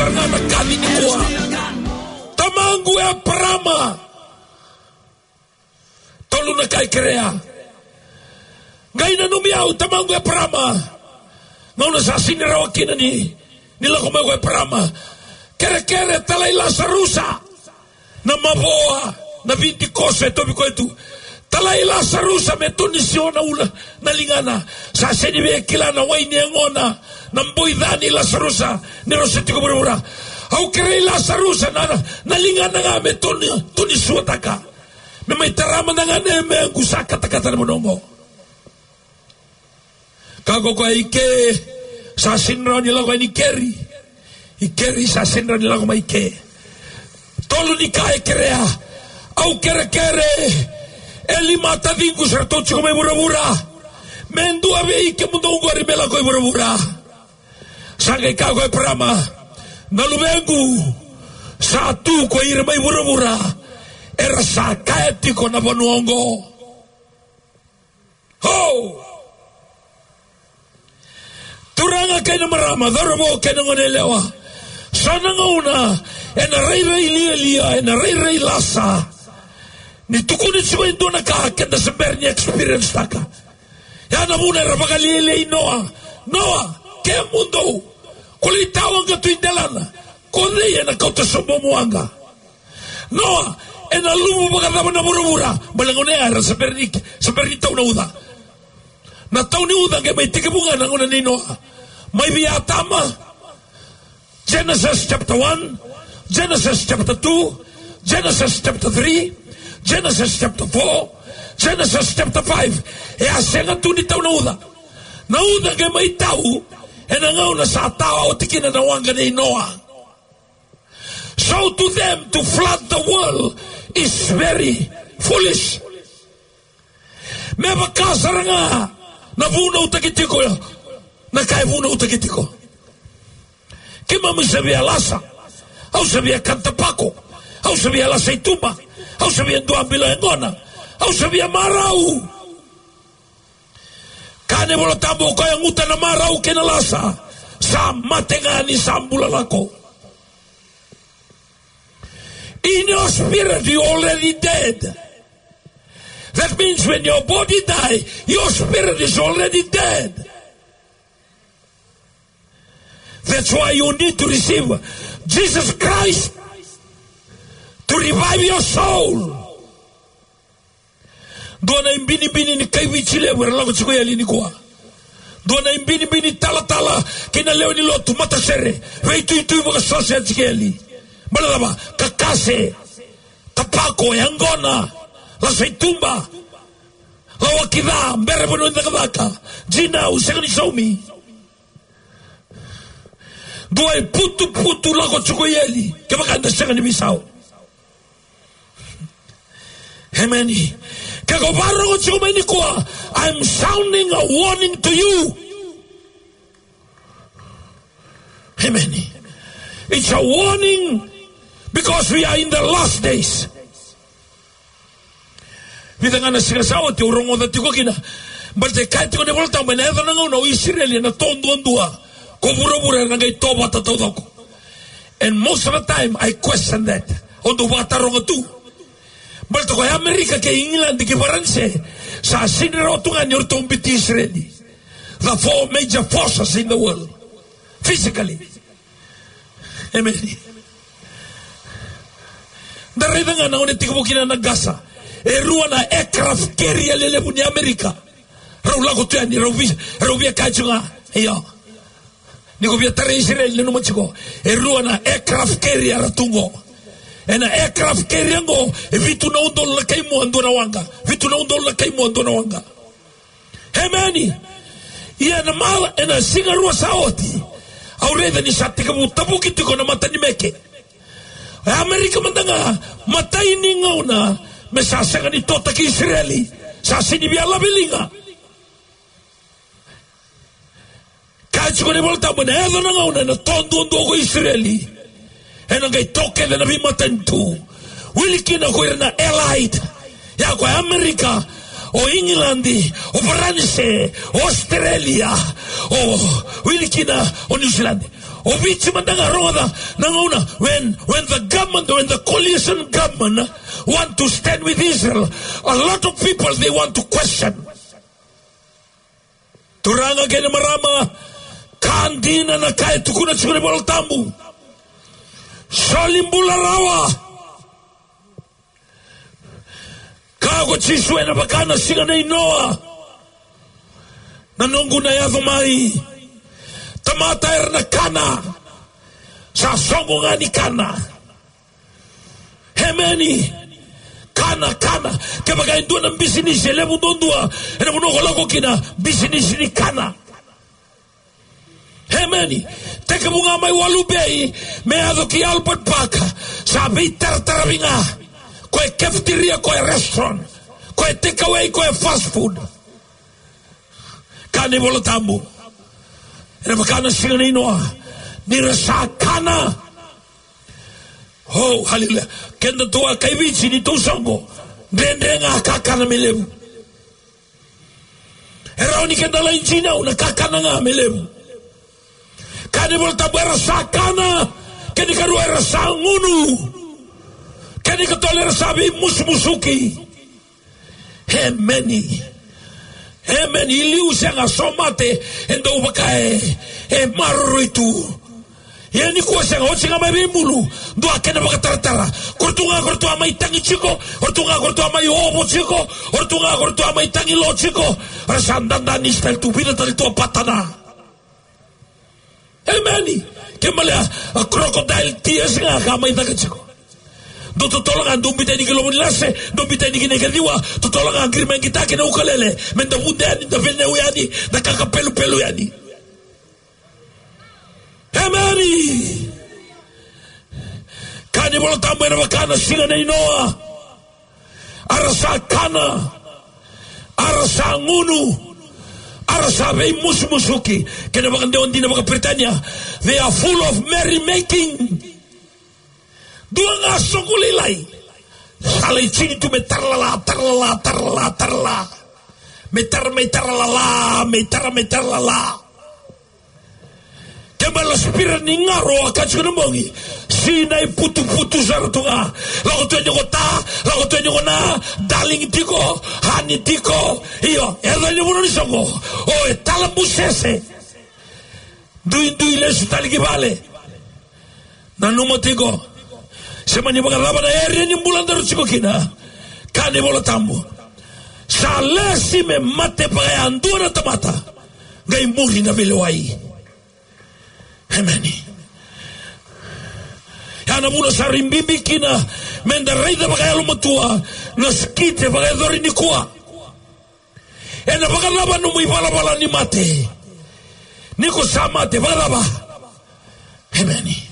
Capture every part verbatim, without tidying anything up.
Tara ga na kaci nikua. Tamaqu Eparama. Tolu na ka e kerea. Qai nanumi au tamaqu Eparama. Gauna sa sega ni rawa kina ni, ni lako mai ko Eparama. Kerekere, talai Lasarusa. Na mavoa, na viti koso e tovi koya tu. Talai Lasarusa me toni sio na ula, na ligana. Sa sega ni via kila na wai ni yagona, na boi ca nei Lasarusa, ni rau se tiko vuravura. Au kerei Lasarusa na, na, na ligana ga me toni, toni suataka. Me mai tara mada ga na yameyaqu sa katakata na vanua oqo. Ka ko koya i ke, sa sega ni rawa ni lako yani i keri. I keri sa sega ni rawa ni lako mai i ke. Tolu ni ka e kerea. Au kerekere. E lima taciqu sa ratou tiko mai vuravura. Me dua vei kemudou qori me lako i vuravura. Sa qai kaya ko Eparama, na luvequ, sa tu ko ira mai vuravura. Era sa kaya tiko na vanua oqo. Ho! Turaga kei na marama, cauravou kei na goneyalewa. So na gauna, ena rairai lialia, ena rairai lasa. Ni tukuni tiko e dua na ka, keda se bera ni experience taka. Ya na vuna era vakalialiai Noa. Noa, kemudou. Ko lai tawaqa tu i delana. Ko cei ena kauta sobu mo waqa. Noa, ena luvu vakacava na vuravura? Baleta gauna ya era se bera ni, se bera ni tau na uca. Na tau ni uca qai mai tekivu ga na gauna nei Noa. Mai vei Atama, Genesis chapter one, Genesis chapter two, Genesis chapter three, Genesis chapter four, Genesis chapter five. E a sega tu ni tau na uca. Na uca qai mai tau ena gauna sa tawa oti kina na waqa nei Noa. So to them, to flood the world is very foolish. Me vaka sara ga na vunautaki tiko na ka e vunautaki tiko. Keimami sa via lasa, au sa via kana tapako, au sa via lasa i tuba, au sa via dua bilo e gona, au sa via marau. Kaya na iVola Tabu, o koya e guta na marau kei na lasa, sa mate ga ni sa bula lako. In your spirit, you're already dead. That means when your body die, your spirit is already dead. That's why you need to receive Jesus Christ to revive your soul. Dua na ibinibini ni kai Viti levu era lako tiko i eli nikua. Dua na ibinibini talatala kei na lewe ni lotu matasere, veituitui vakasosea tiko i eli. Baleta cava? Kakase, tapako, yaqona, lasa i tuba, lawaki ca, bera vanua ni cakacaka, dinau, sega ni saumi. Dua e putuputu lako tiko i eli kevaka eda sega ni veisau. Amen. Ke ko vakarorogo tiko mai nikua, I'm sounding a warning to you. Amen. It's a warning because we are in the last days. Vica ga na siga sa oti au rogoca tiko kina. Baleta e kaya tiko na iVola Tabu ena yaco na gauna o Isireli ena to duadua, ko vuravura ena qai to vata taucoko. And most of the time I question that. Au dau vakataroga tu. Baleta ko Amerika kei Igiladi kei Varanise, sa sega ni rawa tu ga ni ratou biuti Isireli. The four major forces in the world. Physically. Amen. Da raica ga na gauna e tekivu kina na qasa. E rua na aircraft carrier lelevu ni Amerika. Rau lako tu yani, rau vi-, rau via kaya tiko ga. Io. Ni ko via tarai Isireli, nanuma tiko. E rua na aircraft carrier era tu qo. Ena aircraft carrier qo, e vitu na udolu na kai mua, dua na waqa. Vitu na udolu na kai mua, dua na waqa. Amen. Ia na macawa, ena siga rua sa oti, au raica ni sa tekivu tavuki tiko na mata ni meke. E Amerika mada ga, matai ni gauna me sa sega ni totaki Isireli, sa sega ni via lave liga. Kaya tiko na iVola Tabu ena yaco na gauna ena to duadua ko Isireli. Ena qai to kece na veimatanitu. Wili kina ko ira na Allied. Ya ko Amerika, o Igiladi, o Varanise, o Australia, o wili kina o New Zealand. O Viti mada ga rogoca na gauna when, when the government, when the coalition government want to stand with Israel, a lot of people they want to question. Turaga kei na marama, ka dina na ka e tukuna tiko na iVola Tabu. Soli bula rawa. Kaya ko Jisu ena vaka na siga nei Noa. Na noqu na yaco mai. Tamata era na kana. Sa soqo ga ni kana. Emeni. Kana, kana. Kevaka e dua na bisinisi e levu duadua ena vanua ko lako kina, bisinisi ni kana. Emeni. Tekivu ga mai Walu Bay me yaco ki Albert Park, sa veitarataravi ga. Ko e cafeteria, ko e restaurant, ko e takeaway, ko e fast food. Kaya na iVola Tabu, ena vaka na siga nei Noa, ni ra sa kana. Oh, haleluya. Keda tou a kai Viti ni tou soqo, dredre ga kakana me levu. E rawa ni keda lai dinau na kakana ga me levu. Kaya na iVola Tabu era sa kana, kena ikarua era sa gunu, kena ikatolu era sa veimusumusuki. Emeni. Emeni. I liu sega, so mate e dau vaka e, e maroroi tu. Ia nikua sega, oti ga mai veibulu, dua kena vakataratara. Ko ratou ga ko ratou a mai tagi tiko, ko ratou ga ko ratou a mai ovo tiko, ko ratou ga ko ratou a mai tagi lo tiko. Ra sa dada ni style tu, vica tale tu a patana. Emeni. Ke malea, a crocodile tears ga ka mai caka tiko. Dou totolo ga, dou biuta yani ki Lovo ni Lase, dou biuta yani ki na ikaciwa, totolo ga, qiri mai qitaki na ukulele, me da vude yani, da veneu yani, da kakapelupelu yani. Emeni. Kaya na iVola Tabu ena vaka na siga nei Noa. A ra sa kana, a ra sa gunu, a ra sa veimusumusuki. Kena vakadewa dina vakaperitania, they are full of merrymaking. Dua ga soqo lailai. Sa lai tini tu me taralala, taralala, taralala, taralala. Me tara, me taralala, me tara, me taralala. Kena ibalebale spirit ni garo a kaya tiko na bogi. Sinai putuputu sara tu ga. Lako tu yani ko ta, lako tu yani ko na, darling tiko, honey tiko. Io, e yaco yani vanua ni soqo. O e talabusese. Duidui lesu tale ki vale. Nanuma tiko. Se mani vakacava na area ni bula daru tiko kina. Kaya na iVola Tabu, sa lesi me mate vakayadua na tamata, qai muri na veilewai. Emeni. Ya na vuna sa rui bibi kina me da raica vakayalomatua na skit e vakayacori nikua. Ena vakacava nomu ivalavala ni mate? Ni ko sa mate, vakacava? Emeni.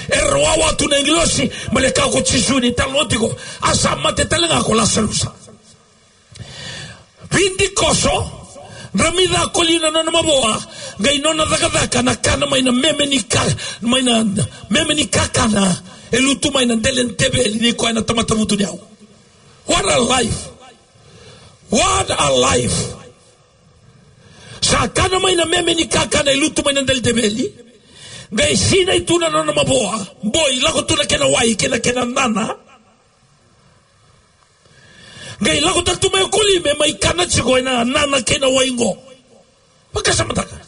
Era wawa tu na agilosi, baleta kaya ko Jisu ni talanoa tiko, a sa mate tale ga ko Lasarusa. Vidikoso, dramica koli na nona mavoa, qai nona cakacaka na kana mai na meme ni ka, mai na meme ni kakana e lutu mai na dela ni teveli ni koya na tamata vutuniyau. What a life. What a life. Sa kana mai na meme ni kakana e lutu mai na dela ni teveli. Qai sinai tu na nona mavoa. Boi, lako tu na kena wai, kei na kena nana. Qai lako tale tu mai o koli me mai kana tiko ena nana kei na wai qo. Vakasamataka.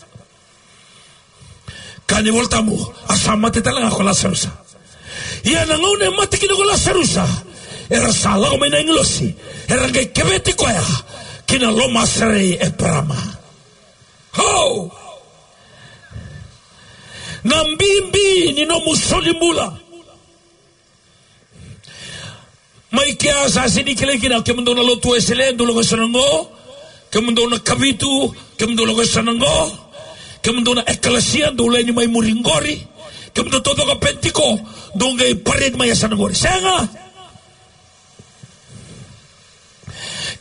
Kaya na iVola Tabu, a sa mate tale ga ko Lasarusa. Ia na gauna e mate kina ko Lasarusa, era sa lako mai na agilosi, era qai keveti koya ki na lomaserei Eparama. Ho! Na bibi ni nomu solibula. Mai kea sa sega ni kilai kina, kemudou na lotu Wesele, dou lako e so na qo, kemudou na Kavitu, kemudou lako e so na qo, kemudou na ekalesia, dou laini mai muri qori, kemudou taucoko Penitiko, dou qai parade mai e so na qori. Sega!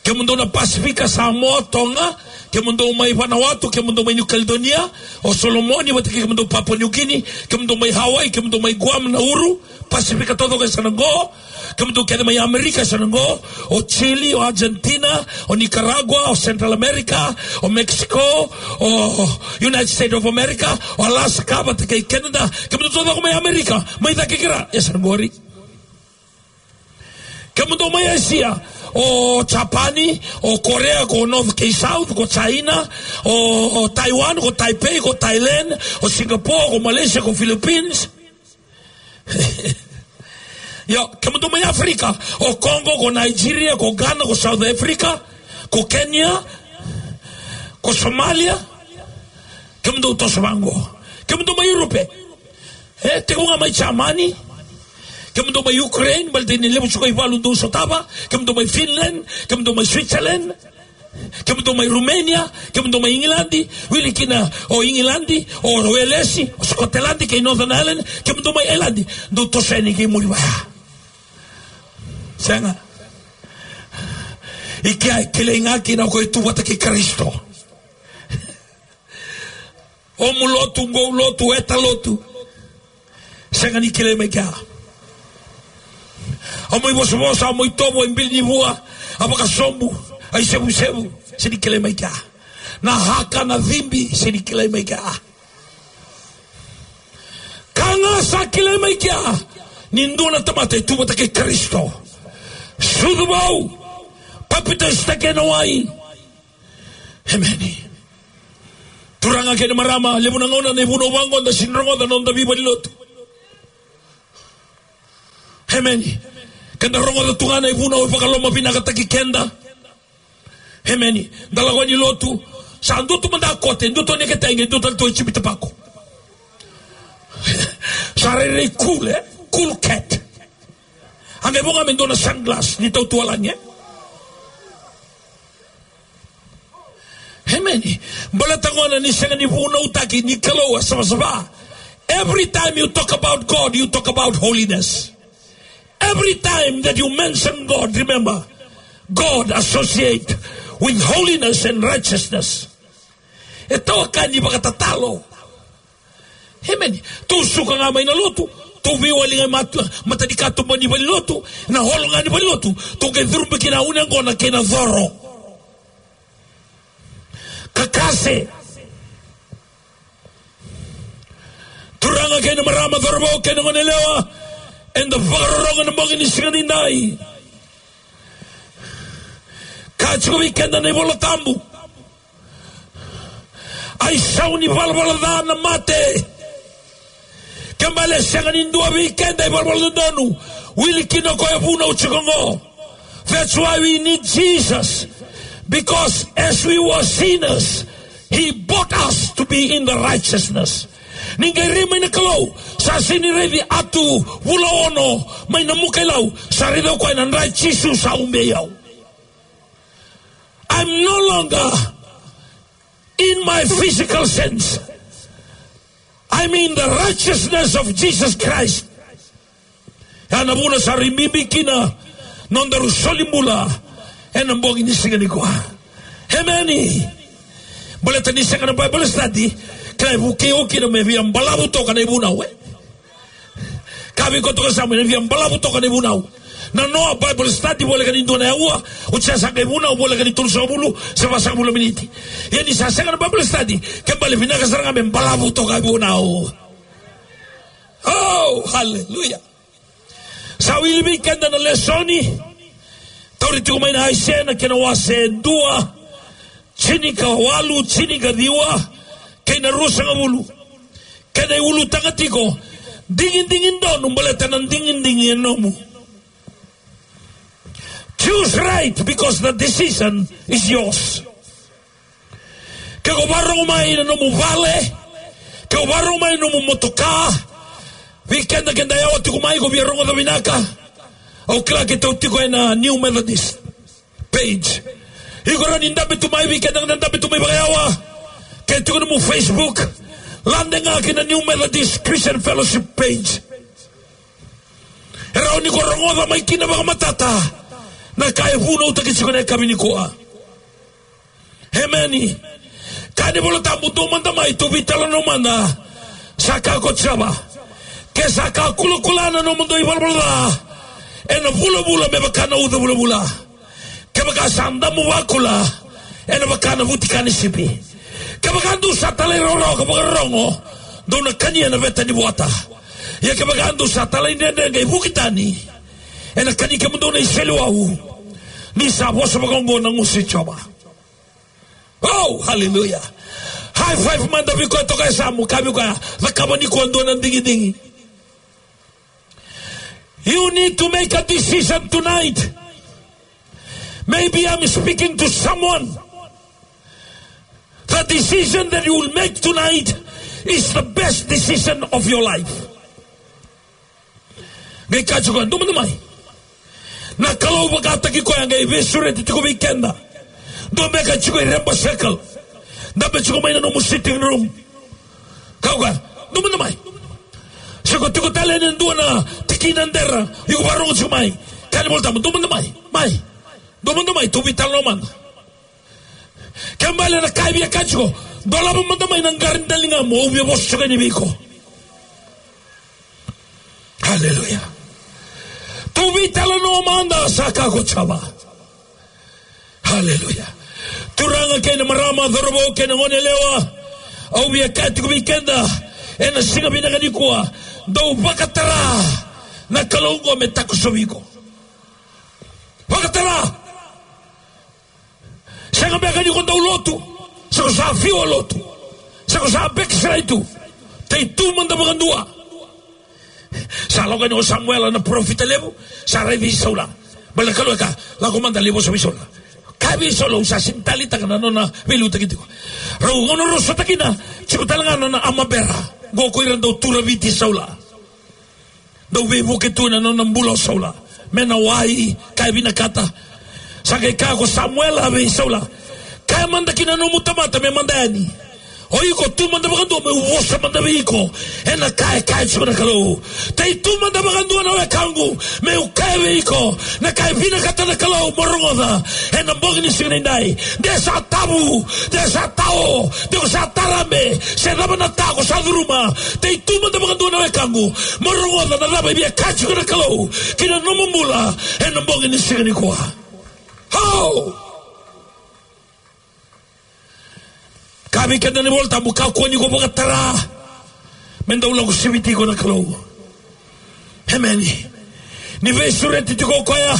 Kemudou na Pasifika, Samoa, Toga, Kemudou mai Vanuatu, kemudou mai New Caledonia, o Solomoni vata kei kemudou Papua New Guinea, kemudou mai Hawaii, kemudou mai Guam, Nauru, Pasifika taucoko e sa na qo. Kemudou kece mai Amerika e sa na qo, o Chile, o Argentina, o Nicaragua, o Central America, o Mexico, o United States of America, o Alaska vata kei Canada. Kemudou taucoko mai Amerika, mai cake kei ra, e sa na qori. Kemudou mai Asia, o Japani, o Korea, ko North kei South, ko China, o, o Taiwan, ko Taipei, ko Thailand, o Singapore, ko Malaysia, ko Philippines. Io, kemudou mai Africa, o Congo, ko Nigeria, ko Ghana, ko South Africa, ko Kenya, ko Somalia. Kemudou toso vaqo. Kemudou mai Europe, e, tekivu ga mai Jamani. Kemudou mai Ukraine, baleta ni levu tiko i valu dou sotava. Kemudou mai Finland, kemudou mai Switzerland, kemudou mai Romania, kemudou mai Igiladi, wili kina o Igiladi, o Welesi, o Scotland kei Northern Ireland, kemudou mai Ireland, dou toso yani kei muri vaya. Sega. I kea e kilai ga kina o koya e tu vata kei Karisito. O mu lotu, qo lotu, eta lotu. Sega ni kilai mai kea. A mo ivosavosa, a mo itovo, a ibili ni vua, a vakasobu, a isevusevu, sega ni kilai mai kea. Na haka, na cibi, sega ni kilai mai kea. Ka ga sa kilai mai kea ni dua na tamata e tu vata kei Karisito. Sucu vou, papitaisotaki ena wai. Emeni. Turaga kei na marama, levu na gauna na ivunau vaqo da sega ni rogoca na noda veivalenilotu. Emeni. Keda rogoca tu ga na ivunau e vakalomavinakataki keda. Emeni. Da lako yani lotu, sa dua tu mada kote, dua tu o Neketaiqe, dua tale tu o Jimmy Tobacco. Sa rairai cool, e? Cool cat. A qai vo ga me dua na sunglass ni tautualagi, e? Emeni. Baleta gona ni sega ni vunautaki ni Kalou a savasava. Every time you talk about God, you talk about holiness. Every time that you mention God, remember, God associate with holiness and righteousness. E tawaka ni vakatatalo. Emeni. Tou suka ga mai na lotu, tou veiwali ga i mata, mata ni katuba ni valenilotu, na holo ga ni valenilotu, tou qai curubi kina une qona kei na coro. Kakase. Turaga kei na marama, cauravou kei na goneyalewa, eda vakarorogo ena bogi ni siga nidai. Ka tiko vei keda na iVola Tabu. A isau ni valavala ca na mate. Ke bale sega ni dua vei keda e valavala dodonu, wili kina o koya e vunau tiko qo. That's why we need Jesus. Because as we were sinners, he bought us to be in the righteousness. Ni qai rai mai na Kalou, sa sega ni raici Atu Vulaono mai Namuka-i-Lau, sa raici au koya na dra i Jisu sa ubei au. I'm no longer in my physical sense. I'm in the righteousness of Jesus Christ. Ya na vuna sa rui bibi kina nodaru soli bula ena bogi ni siga nikua. Emeni. Baleta ni sega na Bible study, ka e vukei au kina me via balavu toka na ivunau, e? Ka vei koya toka sa mai na via balavu toka na ivunau. Na noa Bible study voleka ni dua na aua, oti ya sa qai vunau voleka ni tolusagavulu se vasagavulu na miniti. Ia ni sa sega na Bible study, ke bale vinaka sara ga me balavu toka ivunau. Oh, hallelujah. Sa wili vei keda na lesoni. Tauri tiko mai na Aisea na kena wase dua, tinikawalu, tinikaciwa kei na ruasagavulu. Kena iulutaga tiko, digidigi donu baleta na digidigi e nomu. Choose right because the decision is yours. Ke ko vakarorogo mai na nomu vale, ke ko vakarorogo mai na nomu motoka, vei keda keda yawa tiko mai ko via rogoca vinaka. Au kila keitou tiko ena New Methodist page. Iko rawa ni dabe tu mai, vei keda na dabe tu mai vakayawa. Ke tiko nomu Facebook, lade ga ki na New Methodist Christian Fellowship page. E rawa ni ko rogoca mai kina vakamatata na ka e vunautaki tiko na yakavi nikua. Emeni. Kaya na iVola Tabu, dou mada mai, tou veitalanoa mada. Sa kaya ko Jiova, ke sa ka kulakula na nomudou ivalavala ca ena vulavula me vaka na uca vulavula, kevaka sa damu vakula ena vaka na vutika ni sipi, kevaka dou sa talairawarawa ka vakarorogo, dou na kania na veta ni vuata. Ia kevaka dou sa talaidredre qai vuki tani, ena kani kemudou na iseleiwau. Ni sa vosa vakaoqo na gusu i Jiova. Oh, hallelujah. High five mada vei koya toka e yasamu, kaya vei koya, cakava nikua e dua na digidigi. You need to make a decision tonight. Maybe I'm speaking to someone. The decision that you will make tonight is the best decision of your life. Qai kaya tiko, dou mada mai. Na Kalou vakataki koya qai veisureti tiko vei keda. Dua beka tiko e Reba Circle. Dabe tiko mai na nomu sitting room. Kaya o koya, dou mada mai. Se ko tiko tale ena dua na tikina dera, iko vakarogo tiko mai. Kaya na iVola Tabu, dou mada mai. Mai. Dou mada mai, tou veitalanoa mada. Kena ibalebale na ka e via kaya tiko, dolava mada mai na qara ni daligamu, au via vosa tiko yani vei iko. Haleluya. Tou veitalanoa mada, sa kaya ko Jiova. Haleluya. Turaga kei na marama, cauravou kei na goneyalewa, au via kaya tiko vei keda ena siga vinaka nikua, dou vakatara na Kalou oqo me takosovi iko. Vakatara. Sega beka ni ko dau lotu, se ko sa fiu a lotu, se ko sa backslide tu. Tei tu mada vakadua. Sa lako yani o Samuela na parofita levu, sa rai vei Saula. Baleta na Kalou e kaya, lako mada lai vosa vei Saula. Kaya vei Saula, au sa sega ni taleitaka na nona veiliutaki tiko. Rau gauna rau sota kina, tiko tale ga na nona armor bearer. Qo ko ira dau tu raviti Saula. Dau veivuke tu na nona bula o Saula. Me na wai, ka e vinakata. Sa qai kaya ko Samuela vei Saula, kaya mada ki na nomu tamata me mada yani. O iko tu mada vakadua, meu vosa mada vei iko ena ka e kaya tiko na Kalou. Tei tu mada vakadua na wekaqu, meu kaya vei iko na ka e vinakata na Kalou mo rogoca ena bogi ni siga nidai. De sa tavu, de sa tao, de ko sa tarabe, se cava na ta ko sa curuma, tei tu mada vakadua na wekaqu, mo rogoca na cava e via kaya tiko na Kalou ki na nomu bula ena bogi ni siga nikua. Ho! Kaya vei keda na iVola Tabu, kakua ni ko vakatara me dau lako siviti iko na Kalou. Emeni. Ni veisureti tiko o koya,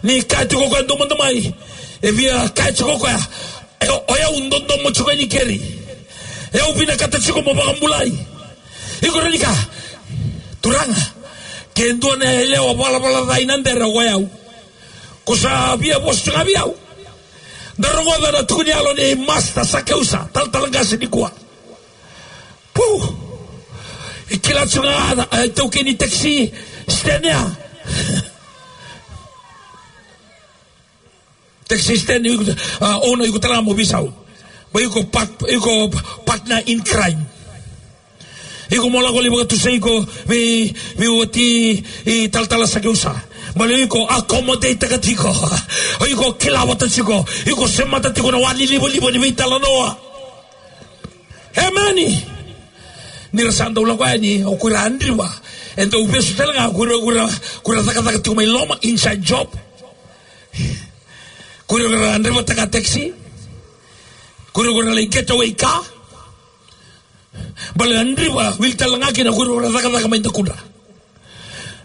ni kaya tiko o koya, dou mada mai. E via kaya tiko o koya, e, o yau dodomo tiko yani keri. E au vinakata tiko mo vakabulai. Iko rawa ni kaya, Turaga, ke dua na yalewa valavala ca ina dere o yau. Ko sa via vosa tiko ga vei au. Da rogoca na tukuni yalo nei Master Sakeusa, talatala qase nikua. Pu! E kila tiko ga na, e, taukei ni taxi stand ya. Taxi stand, iko, a, owner, iko tale ga mo veisau. Ba iko part-, iko partner in crime. Iko mo lako lai vakatusai iko vei, vei wati i talatala Sakeusa. Baleta iko accommodate-taka tiko. O iko kila vata tiko. Iko semata tiko na wa ni livaliva ni veitalanoa. Emeni. Ni ra sa dau lako yani, o ira a driver. E dau vesu tale ga, o ira, o ira, o ira cakacaka tiko mai loma, inside job. O ira, o ira a driver-taka taxi. O ira, o ira lai getaway car. Baleta a driver, wili tale ga kina o ira, o ira cakacaka mai dakudra.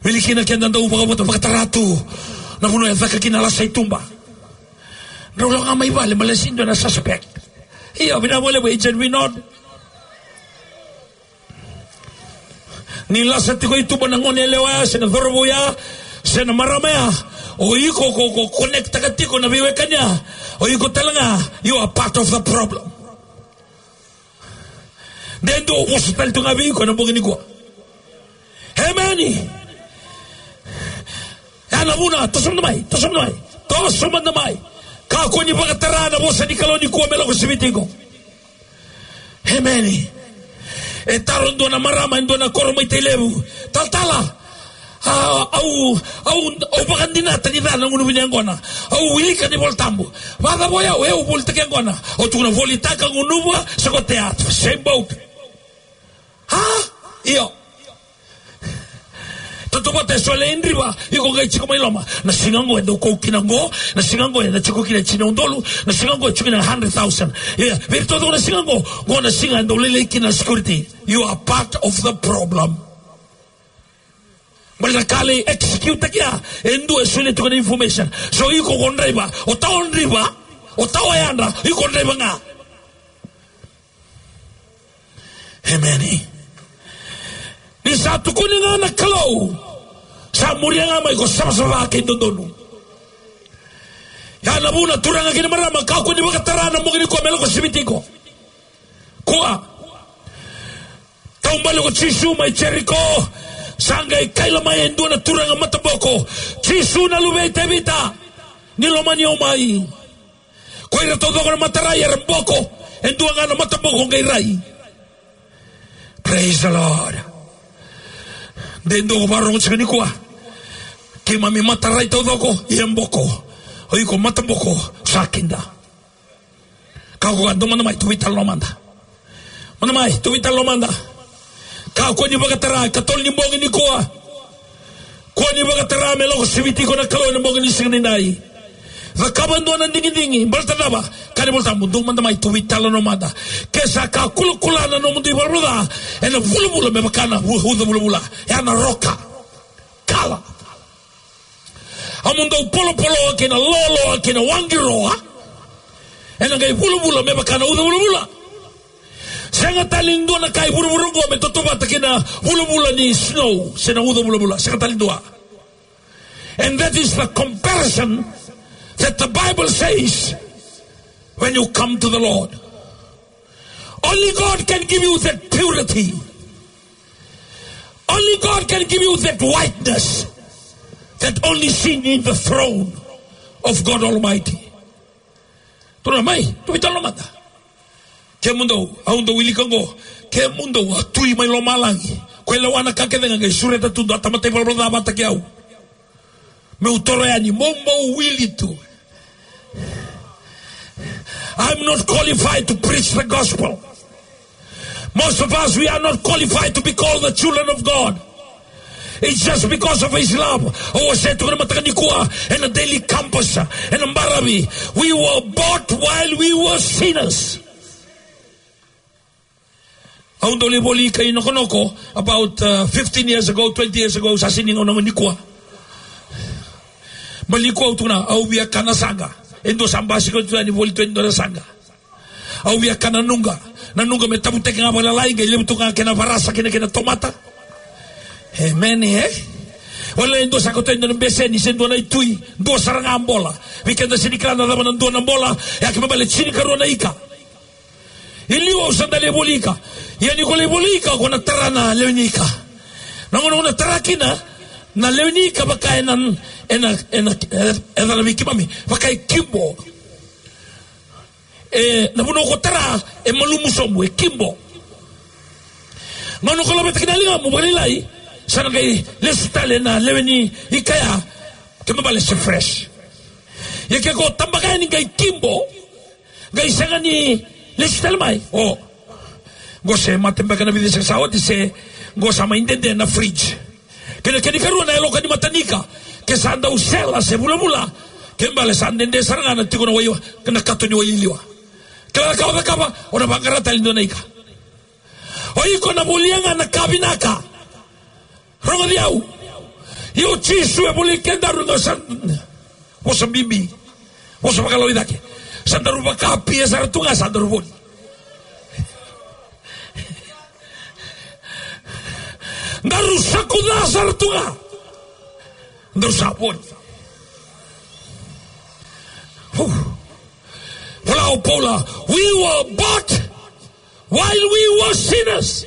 Wili kina keda dau vakavota, vakatara tu na vanua e caka kina lasa i tuba. Drau lako ga mai vale, baleta sega ni dua na suspect. Io, vinaka vakalevu Agent Vinod. Ni lasa tiko i tuba na gone yalewa ya, se na cauravou ya, se na marama ya, o iko ko, ko connect-taka tiko na veiwekani ya, o iko tale ga, you are part of the problem. De dua au vosa tale tu ga vei iko ena bogi nikua. Emeni. Ya na vuna, toso mada mai, toso mada mai, toso mada mai. Kakua ni vakatara na vosa ni Kalou nikua me lako siviti iko. Emeni. E taro dua na marama e dua na koro mai Tailevu. Talatala, A, au, au, au vakadinata ni ca na gunuva ni yaqona. Au wilika na iVolatabu. Vakacava o yau, e au volitaki yaqona. Au tukuna volitaka, gunuva, sa ko tea. Same boat. A? Io. Tautauvata eso e lai driva, iko qai tiko mai loma. Na siga qo e dau kau kina qo, na siga qo e na tiko kina tini na udolu, na siga qo e tiko kina hundred thousand. Ia, vei iratou na siga qo, qo na siga e dau lailai kina na security. You are part of the problem. Baleta na ka e lai execute-taki ya, e dua e solia tiko na information. So iko ko draiva, o tau o draiva, o tau o yadra, iko ko draiva ga. Emeni. Ni sa tukuni ga na Kalou, sa muria ga mai ko savasava kei dodonu. Ya na vuna, turaga kei na marama, kakua ni vakatara na bogi nikua me lako siviti iko. Kua. Taubale ko Jisu mai Jeriko. Sa qai kaila mai e dua na turaga mataboko, Jisu na luve i Tevita, ni lomani au mai. Ko ira taucoko na matarai era boko, e dua ga na mataboko qai rai. Praise the Lord. De dua ko vakarorogo tiko nikua. Keimami matarai taucoko, ia boko. O iko mataboko, sa kida. Kakua ga, dou mada mai, tou veitalanoa mada. Mada mai, tou veitalanoa mada. Kakua ni vakatara, ikatolu ni bogi nikua. Kua ni vakatara me lako siviti iko na Kalou ena bogi ni siga nidai. Cakava e dua na digidigi, baleta na cava? Kaya na iVolatabu, dou mada mai, tou veitalanoa mada. Ke sa ka kulakula na nomudou ivalavala ca, ena vulavula me vaka na u-, uca vulavula. Ya na roka. Kala. A mo dou polopoloa kei na loaloa kei na waqiroa, ena qai vulavula me vaka na uca vulavula. Sega tale ni dua na ka e vuravura oqo me tautauvata kei na vulavula ni snow se na uca vulavula. Sega tale ni dua. And that is the comparison that the Bible says when you come to the Lord. Only God can give you that purity. Only God can give you that whiteness that only seen in the throne of God Almighty. Turaga mai, tou veitalanoa mada. Kemudou, au dau wilika oqo. Kemudou a tui mai lomalagi, ko e lewa na ka kece ga, qai sureta tu e dua na tamata ivalavala ca vata kei au. Meu toro yani, mo, mo wili tu. I'm not qualified to preach the gospel. Most of us, we are not qualified to be called the children of God. It's just because of his love. Au wasea tiko ena mataka nikua ena Daily Compass, ena baravi. We were bought while we were sinners. Au dau lai voli ika i Nokonoko about, uh, fifteen years ago, twenty years ago, sa sega ni gauna nikua. Baleta nikua au tukuna, au via kana saqa. E dua sa basika tu yani voli tu e dua na saqa. Au via kana nuqa. Na nuqa me tavutaki ga vakalalai, qai levu tu ga kena varasa kei na, kei na tomata. Emeni, e? Wale e dua sa kauta e dua na beseni se dua na itui, dua sara ga bola. Vei keda sega ni kila na cava na dua na bola, ya kena ibalebale tinikarua na ika. I liu au sa dau lai voli ika. Ia ni ko lai voli ika, ko na tara na lewe ni ika. Na gauna ko na tara kina na lewe ni ika, vaka ena, ena, ena, e, e cala vei keimami, vaka e kibo. E, na vanua ko tara e malumu sobu, e kibo. Gauna ko laveta kina na ligamu vakalailai, sa na qai lesu tale na lewe ni ika ya, kena ibalebale se fresh. Ia ke ko tabaka yani qai kibo, qai sega ni lesu tale mai. O, qo se mate beka na vica se sa oti, se qo sa mai dede na fridge. Kei na kena ikarua na yaloka ni matanika. Ke sa dau sela se vulavula, kena ibalebale sa dede sara ga na tiko na wai, na kato ni wai liliwa. Kila na ka o cakava, o na vaqara tale e dua na ika. O iko na volia ga na ka vinaka. Rogoci au. Io, Jisu e voli kedaru, dua sa vosa bibi, vosa vakalawai cake. Sa daru vakapia sara tu ga, sa daru voli. Daru sakuca sara tu ga, daru sa voli. Hu. Vola o Paula, we were bought while we were sinners.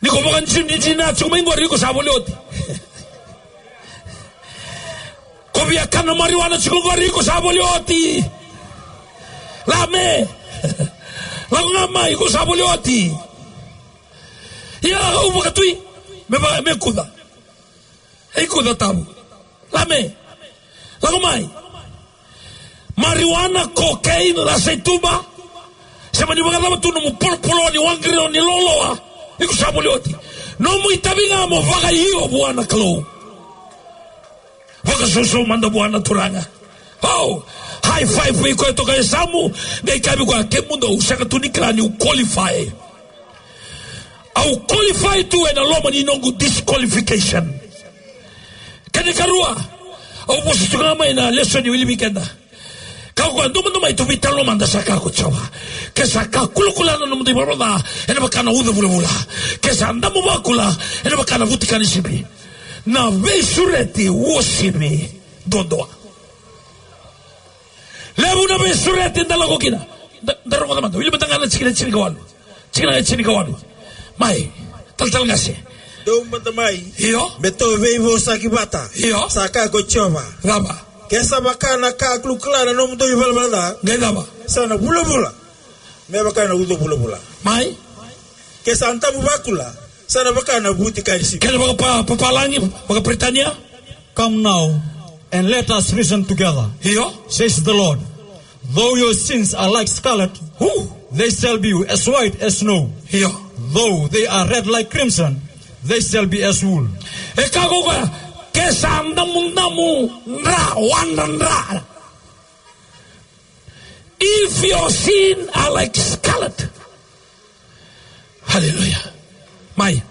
Ni ko vakadinadina tiko mai qori, iko sa voli oti. Ko via kana marijuana tiko qori, iko sa voli oti. Lame. Lako ga mai, iko sa voli oti. Ia au vakatui. Me va, me kuca. E kuca tabu. Lame. Lako mai. Marijuana, cocaine, lasa i tuba. Se mani vakacava tu nomu polopolo ni waqiri ni loloa. Iko sa voli oti. Nomu itavi ga mo vakaio vua na Kalou. Vakasoso mada vua na Turaga. Oh, high five vei koya toka e samu. Qai kavi koya kemudou sega tu ni kila niu qualify. Au qualify tu ena loma ni noqu disqualification. Kena karua, au vosa tu ga mai na lesoni wili vei keda. Ka koya duma duma i tu vei talo mada sa ka ko Jiova. Ke sa ka kulakula na nomu dui vavada, ena vaka na uca vulavula. Ke sa damu vakula, ena vaka na vutika ni sipi. Na veisureti uasivi duadua. Levu na veisureti da lako kina. Da, da rogoca mada. Wili mada ga na tikina e tinikawalu. Tikina e tinikawalu. Mai. Talatala qase. Dou mada mai. Io. Me tou veivosaki vata. Io. Sa kaya ko Jiova. Cava? Ke sa vaka na ka kulakula na nomudou ivalavala ca. Qai cava? Sa na vulavula. Me vaka na uca vulavula. Mai. Ke sa damu vakula. Sa na vaka na vutika ni sipi. Kena vaka pa, papalagi, vaka Peritania. Come now, and let us reason together, Io. says the Lord. Though your sins are like scarlet, Who? they shall be as white as snow. Io. Though they are red like crimson, they shall be as wool. E ka ko koya, ke sa damudamu dra, wadra dra. If your sin are like scarlet. Hallelujah. Mai.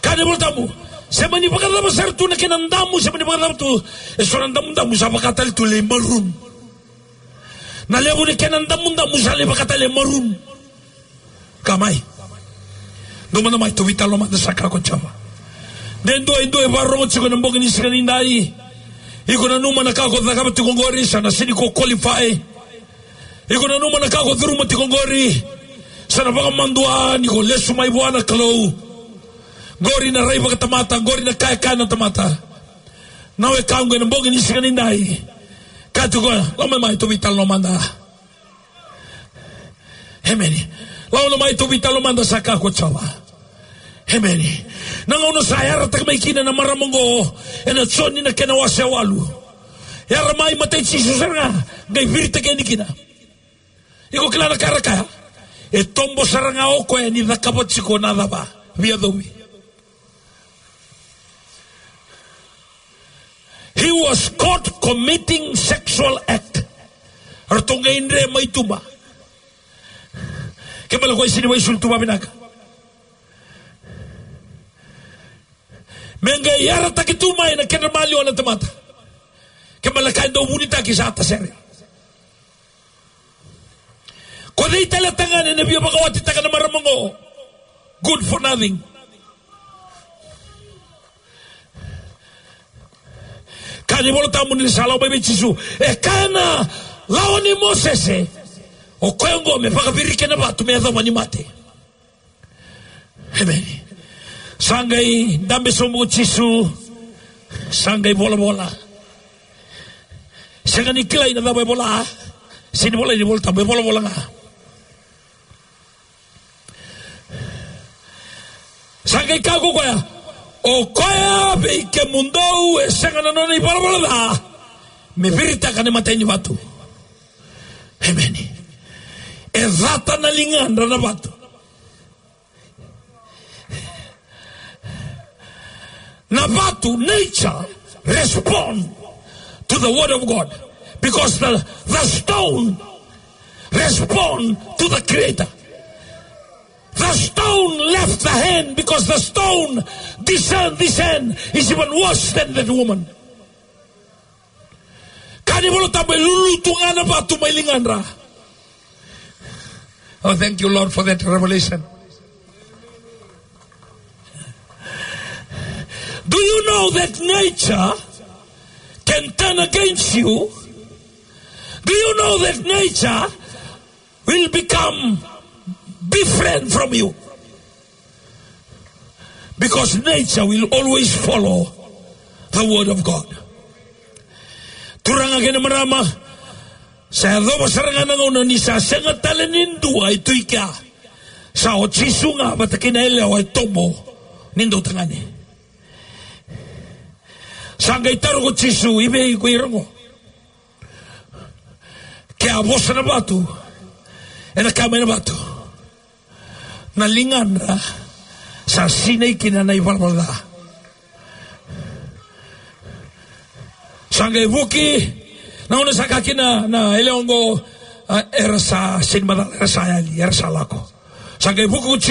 Ka ni vola tabu. Se mani vakacava sara tu na kena damu, se mani vakacava tu. E so na damudamu sa vakatale tu le maroon. Na levu ni kena damudamu sa le vakatale maroon. Ka mai. Dou mada mai, tou veitalanoa mada sa ka ko Jiova. De dua e dua e vakarorogo tiko ena bogi ni siga nidai. Iko nanuma na ka ko cakava tiko qori, sa na sega ni ko qualify. Iko nanuma na ka ko curuma tiko qori. Sa na vakamadua ni ko lesu mai vua na Kalou. Qori na rai vakatamata, qori na ka e kaya na tamata. Na wekaqu ena bogi ni siga nidai. Ka tiko, lako mai, tou veitalanoa mada. Emeni. Lako mai, tou veitalanoa mada sa ka ko Jiova. Emeni. Na gauna sa yarataki mai kina na marama oqo, ena Joni na kena wase walu. Yara mai, matai Jisu sara ga, qai viritaki yani kina. Iko kila na ka ra kaya? E tobo sara ga o koya ni cakava tiko na cava? Veiyacovi. He was caught committing sexual act. Ratou qai dre mai tuba. Ke bale koya sega ni vakaisulu tu vakavinaka. Me qai yarataki tu mai na kedra maliwa na tamata. Ke bale ka e dau vunitaki sa tasere. Ko cei tale tagane na via vakawatitaka na marama oqo? Good for nothing. Ka ni vola tabu ni sa lako mai vei Jisu. E kaya na lawa ni Mosese. O koya oqo me vakaviriki ena vatu me yacova ni mate. Emeni. Sa qai dabe sobu ko Jisu. Sa qai volavola. Sega ni kilai na cava e vola. Sega ni vola ni vola tabu, e volavola ga. Sa qai kaya ko koya, o koya vei kemudou e sega na nona ivalavala ca, me viritaka na imatai ni vatu. Emeni. E cata na ligadra na vatu. Na vatu, nature, respond to the word of God. Because the, the stone respond to the Creator. The stone left the hand because the stone discerned this hand is even worse than that woman. Ka ni vola tabu e lulu tu ga na vatu mai ligadra. Oh, thank you, Lord, for that revelation. Do you know that nature can turn against you? Do you know that nature will become different from you? Because nature will always follow the word of God. Turaga kei na marama, sa yacova sara ga na gauna ni sa sega tale ni dua e tu i kea. Sa o Jisu ga vata kei na yalewa e tobo ni dautagane. Sa qai taro ko Jisu, i vei ko ira qo? Ke a vosa na vatu, ena kaya mai na vatu, na ligadra sa sinai kina na ivalavala ca. Sa qai vuki, na gauna sa kaya kina na yalewa qo, a, era sa sega ni macala, era sa yali, era sa lako. Sa qai vuki ko Jisu.